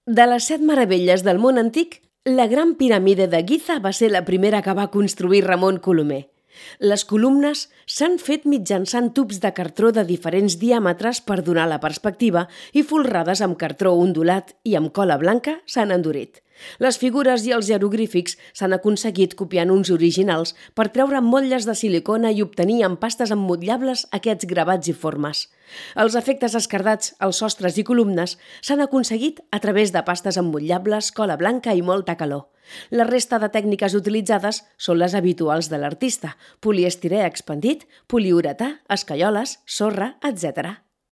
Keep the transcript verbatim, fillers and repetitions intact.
De les set meravelles del món antic, la Gran Piramide de Giza va ser la primera que va construir Ramon Colomer. Les columnes s'han fet mitjançant tubs de cartró de diferents diàmetres per donar la perspectiva i folrades amb cartró ondulat i amb cola blanca s'han endurit. Les figures i els jeroglífics s'han aconseguit copiant uns originals per treure motlles de silicona i obtenir amb pastes emmotllables aquests gravats i formes. Els efectes esquerdats als sostres i columnes s'han aconseguit a través de pastes emmotllables, cola blanca i molta calor. La resta de tècniques utilitzades són les habituals de l'artista: poliestirè expandit, poliuretà, escaioles, sorra, etcètera.